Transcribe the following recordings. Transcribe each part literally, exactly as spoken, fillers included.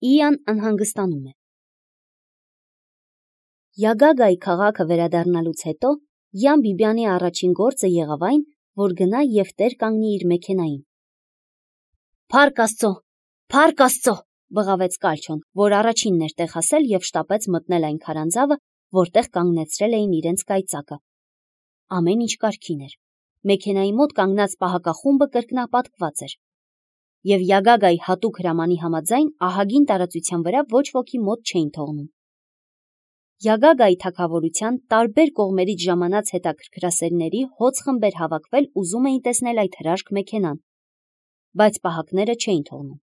Իան անհանգստանում է։ Յագագայի քաղաքը վերադառնալուց հետո Յան Բիբյանի առաջին գործը եղավ այն, որ գնա և տեր կանգնի իր մեքենային։ Փառք Աստծո, փառք Աստծո, բղավեց Կալչոն, որ առաջինն էր տեղ հասել և շտապեց մտնել այն քարանձավը, որտեղ կանգնեցրել էին իրենց կայծակը։ Ամեն ինչ կարգին էր։ Մեքենայի մոտ կանգնած պահակախումբը կրկնապատկված էր։ Եվ Յագագայի հատուկ հրամանի համաձայն ահագին տարածության վրա ոչ ոքի մոտ չէին թողնում։ Յագագայի թագավորության տարբեր կողմերից ժամանած հետաքրքրասերների հոծ խմբեր հավաքվել ուզում էին տեսնել այդ հրաշք մեքենան, բայց պահակները չէին թողնում։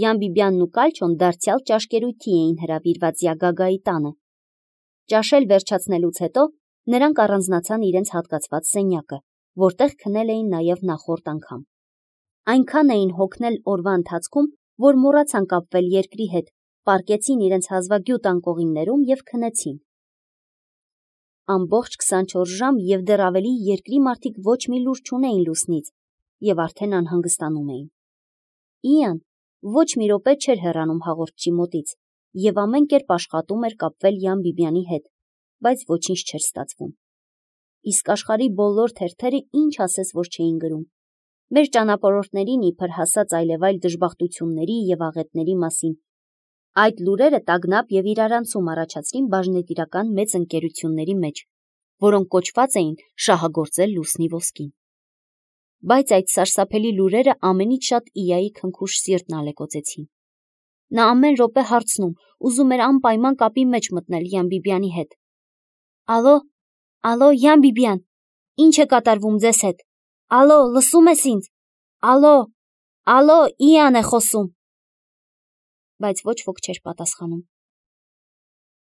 Յան Բիբյանն ու Կալչոն դարձյալ ճաշկերույթի էին հրավիրված Յագագայի տանը։ Ճաշել վերջացնելուց հետո նրանք առանձնացան իրենց հատկացված սենյակը, որտեղ քնել էին նաև նախորդ անգամ։ Այնքան էին հոգնել օրվա ընթացքում, որ մոռացան կապվել երկրի հետ, պառկեցին իրենց հազվագյուտ անկողիններում և քնեցին։ Ամբողջ քսանչորս ժամ և դեռ ավելի երկրի մարդիկ ոչ մի լուր չունեին լուսնից և արդեն անհանգստանում էին։ Իան ոչ մի րոպե չէր հեռանում հաղորդչի մոտից և ամեն կերպ աշխատում էր կապվել Յան Բիբյանի հետ, բայց ոչինչ չէր ստացվում։ Իսկ աշխարհի բոլոր թերթերը ինչ ասես որ չէին գրում։ Մեր ճանապարհորդներին իբր հասած այլևայլ դժբախտությունների և աղետների մասին։ Այդ լուրերը տագնապ և իրարանցում առաջացրին բաժնետիրական մեծ ընկերությունների մեջ, որոնք կոչված էին շահագործել լուսնի ոսկին։ Բայց այդ սարսափելի լուրերը ամենից շատ Իայի քնքուշ սիրտն ալեկոծեցին։ Նա ամեն րոպե հարցնում, ուզում էր անպայման կապի մեջ մտնել Յան Բիբյանի հետ։ Ալո, ալո, Յան Բիբյան, ի՞նչ է կատարվում ձեզ հետ։ Ալո, լսում ես ինձ։ Ալո, ալո, Իան է խոսում։ Բայց ոչ ոք չէր պատասխանում։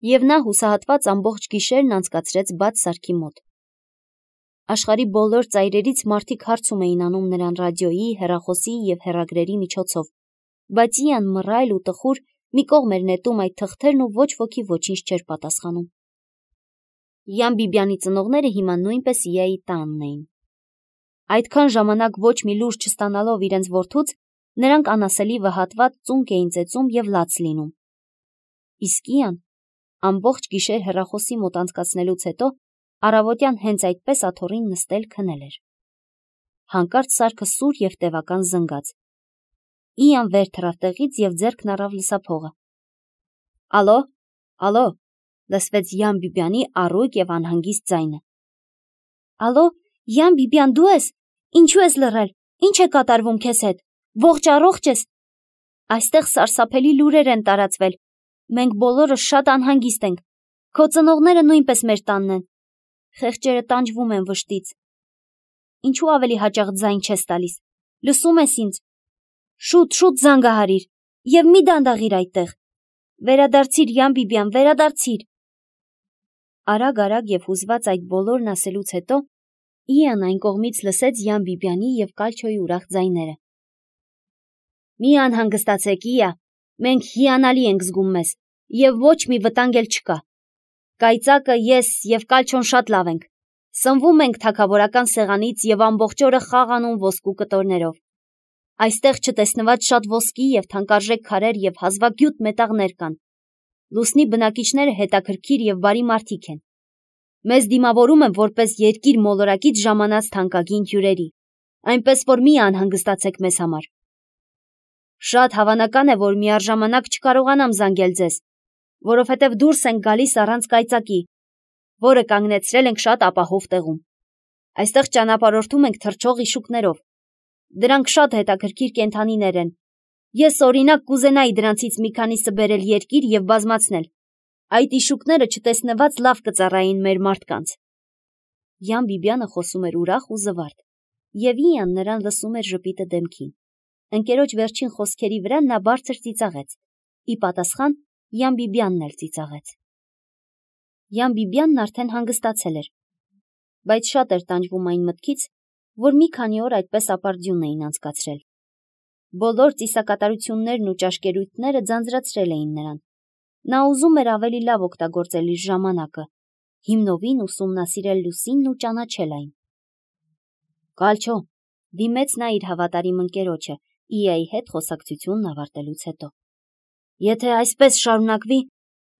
Եվ նա հուսահատված ամբողջ գիշերն անցկացրեց բաց սարքի մոտ։ Աշխարհի բոլոր ծայրերից մարդիկ հարցում էին անում նրան ռադիոյի, հեռախոսի և հեռագրերի միջոցով, բայց Իան մռայլ ու տխուր մի կողմ էր նետում այդ թղթերն ու ոչ ոքի ոչինչ չէր պատասխանում։ Յան Բիբյանի ծնողները հիմա նույնպես Իայի տանն էին։ Այդքան ժամանակ ոչ մի լուր չստանալով իրենց որդուց, նրանք անասելի վհատված ծունկ էին ծեծում և լաց լինում։ Իսկ Իան ամբողջ գիշեր հեռախոսի մոտ անցկացնելուց հետո առավոտյան հենց այդպես աթոռին նստել քնել էր։ Հանկարծ սարքը սուր և տևական զնգաց։ Իան վեր թռավ տեղից և ձեռքն առավ լսափողը։ Ալո, ալո, լսվեց Յան Բիբյանի առույգ և անհանգիստ ձայնը։ Ալո, Յան Բիբյան, դու ես։ Ինչու ես լռել։ Ինչ է կատարվում քեզ հետ։ Ողջ առողջ ես։ Այստեղ սարսափելի լուրեր են տարածվել։ Մենք բոլորս շատ անհանգիստ ենք։ Քո ծնողները նույնպես մեր տանն են։ Խեղճերը տանջվում են վշտից։ Ինչու ավելի հաճախ ձայն չես տալիս։ Լսում ես ինձ։ Շուտ, շուտ զանգահարիր և մի դանդաղիր այդտեղ։ Վերադարձիր, Յան Բիբյան, վերադարձիր։ Արագ-արագ և հուզված այդ բոլորն ասելուց հետո Իան այն կողմից լսեց Յան Բիբյանի և Կալչոյի ուրախ ձայները։ Մի անհանգստացեք, Իա, մենք հիանալի ենք զգում մեզ, և ոչ մի վտանգ էլ չկա։ Կայծակը, ես և Կալչոն շատ լավ ենք։ Սնվում ենք թագավորական սեղանից և ամբողջ օրը խաղ անում ոսկու կտորներով։ Այստեղ չտեսնված շատ ոսկի և թանկարժեք քարեր և հազվագյուտ մետաղներ կան։ Լուսնի բնակիչները հետաքրքիր և բարի մարդիկ են։ Մեզ դիմավորում են որպես երկիր մոլորակից ժամանած թանկագին հյուրերի, այնպես որ մի անհանգստացեք մեզ համար։ Շատ հավանական է, որ միառժամանակ չկարողանամ զանգել ձեզ, որովհետև դուրս ենք գալիս առանց կայծակի, որը կանգնեցրել ենք շատ ապահով տեղում։ Այստեղ ճանապարհորդում ենք թռչող իշուկներով։ Դրանք շատ հետաքրքիր կենդանիներ են։ Ես օրինակ կուզենայի դրանցից մի քանիսը բերել երկիր և բազմացնել։ Այդ իշուկները չտեսնված լավ կծառայեին մեր մարդկանց։ Յան Բիբյանը խոսում էր ուրախ ու զվարթ, և Իան նրան լսում էր ժպիտը դեմքին։ Ընկերոջ վերջին խոսքերի վրա նա բարձր ծիծաղեց։ Ի պատասխան Յան Բիբյանն էլ ծիծաղեց։ Յան Բիբյանն արդեն հանգստացել էր, բայց շատ էր տանջվում այն մտքից, որ մի քանի օր այդպես ապարդյուն էին անցկացրել։ Բոլոր ծիսակատարություններն ու ճաշկերույթները ձանձրացրել էին նրան։ Նա ուզում էր ավելի լավ օգտագործել իր ժամանակը, հիմնովին ուսումնասիրել լուսինն ու ճանաչել այն։ Կալչո, դիմեց նա իր հավատարիմ ընկերոջը Իայի հետ խոսակցությունն ավարտելուց հետո։ Եթե այսպես շարունակվի,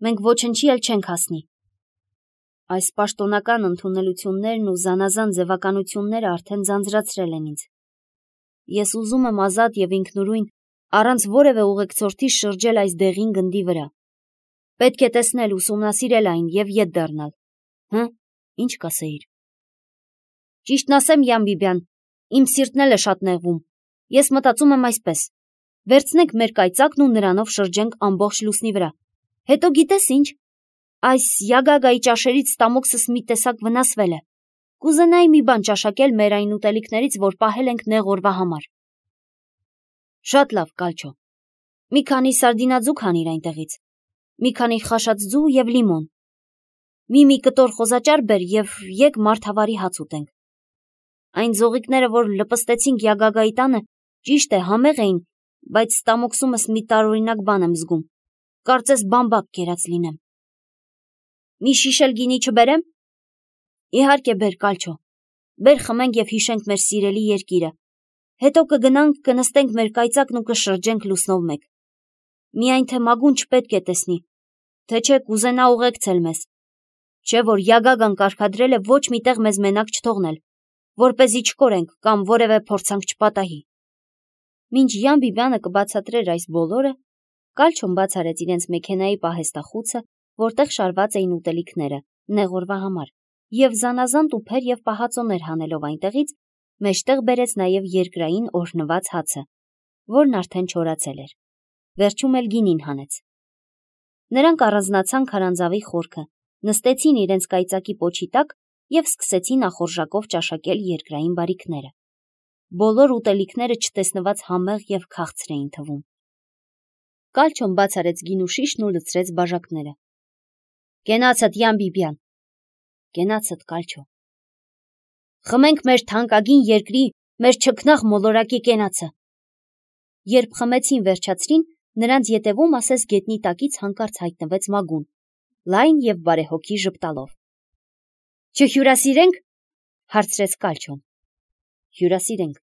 մենք ոչնչի էլ չենք հասնի։ Այս պաշտոնական ընդունելություններն ու զանազան ձևականությունները արդեն ձանձրացրել են ինձ։ Ես ուզում եմ ազատ և ինքնուրույն, առանց որևէ ուղեկցորդի շրջել այս դեղին գնդի վրա։ Պետք է տեսնել, ուսումնասիրել այն և ետ դառնալ։ Հը, ինչ կասեիր։ Ճիշտն ասեմ, Յան Բիբյան, իմ սիրտն էլ է շատ նեղվում։ Ես մտածում եմ այսպես. վերցնենք մեր կայծակն ու նրանով շրջենք ամբողջ լուսնի վրա։ Հետո գիտես ինչ, այս Յագագայի ճաշերից ստամոքսս մի տեսակ վնասվել է։ Կուզենայի մի բան ճաշակել մեր այն ուտելիքներից, որ պահել ենք նեղ օրվա համար։ Շատ լավ, Կալչո։ Մի քանի սարդինաձու քանիր այնտեղից։ Մի քանի խաշած ձու և լիմոն։ Մի-մի կտոր խոզաճար բեր և եկ մարդավարի հաց ուտենք։ Այն ձողիկները, որ լպստեցինք Յագագայի տանը, ճիշտ է, համեղ էին, բայց ստամոքսումս մի տարօրինակ բան եմ զգում։ Կարծես բամբակ կերած լինեմ։ Մի շիշ էլ գինի չբերեմ։ Իհարկե բեր, Կալչո։ Բեր խմենք և հիշենք մեր սիրելի երկիրը։ Հետո կգնանք, կնստենք մեր կայծակն ու կշրջենք լուսնով մեկ։ Միայն թե Մագուն չպետք է տեսնի, թե չէ կուզենա ուղեկցել մեզ։ Չէ որ Յագագան կարգադրել է ոչ մի տեղ մեզ մենակ չթողնել, որպեսզի չկորենք կամ որևէ փորձանք չպատահի։ Մինչ Յան Բիբյանը կբացատրեր այս բոլորը, Կալչոն բաց արեց իրենց մեքենայի պահեստախուցը, որտեղ շարված էին ուտելիքները, նեղ օրվա համար, և զանազան տուփեր և պահածոներ հանելով այնտեղից, մեջտեղ բերեց նաև երկրային օրհնված հացը, որն արդեն չորացել էր։ Վերջում էլ գինին հանեց։ Նրանք առանձնացան քարանձավի խորքը, նստեցին իրենց կայծակի պոչի տակ և սկսեցին ախորժակով ճաշակել երկրային բարիքները։ Բոլոր ուտելիքները չտեսնված համեղ և քաղցր էին թվում։ Կալչոն բաց արեց գինու շիշն ու լցրեց բաժակները։ Կենացդ, Յան Բիբյան։ Կենացդ, Կալչո։ Խմենք մեր թանկագին երկրի, մեր չքնաղ մոլորակի կենացը։ Երբ խմեցին վերջացրին, նրանց ետևում ասես գետնի տակից հանկարծ հայտնվեց Մագուն, լայն և բարեհոգի ժպտալով։ Չհյուրասիրենք, հարցրեց Կալչոն։ Հյուրասիրենք,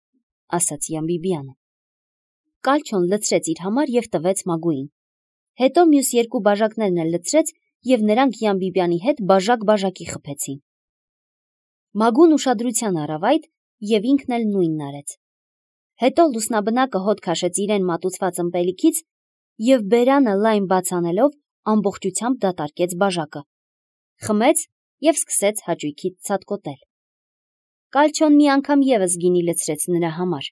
ասաց Յան Բիբյանը։ Կալչոն լցրեց իր համար և տվեց Մագուին։ Հետո մյուս երկու բաժակներն էլ լցրեց և նրանք Յան Բիբյանի հետ բաժակ-բաժակի խփեցին։ Մագուն ուշադրության առավ այդ և ինքն էլ նույնն արեց։ Հետո լուսնաբնակը հոտ քաշեց իրեն մատուցված ըմպելիքից և բերանը լայն բաց անելով ամբողջությամբ դատարկեց բաժակը, խմեց և սկսեց հաճույքից ցատկոտել։ Կալչոն մի անգամ ևս գինի լցրեց նրա համար։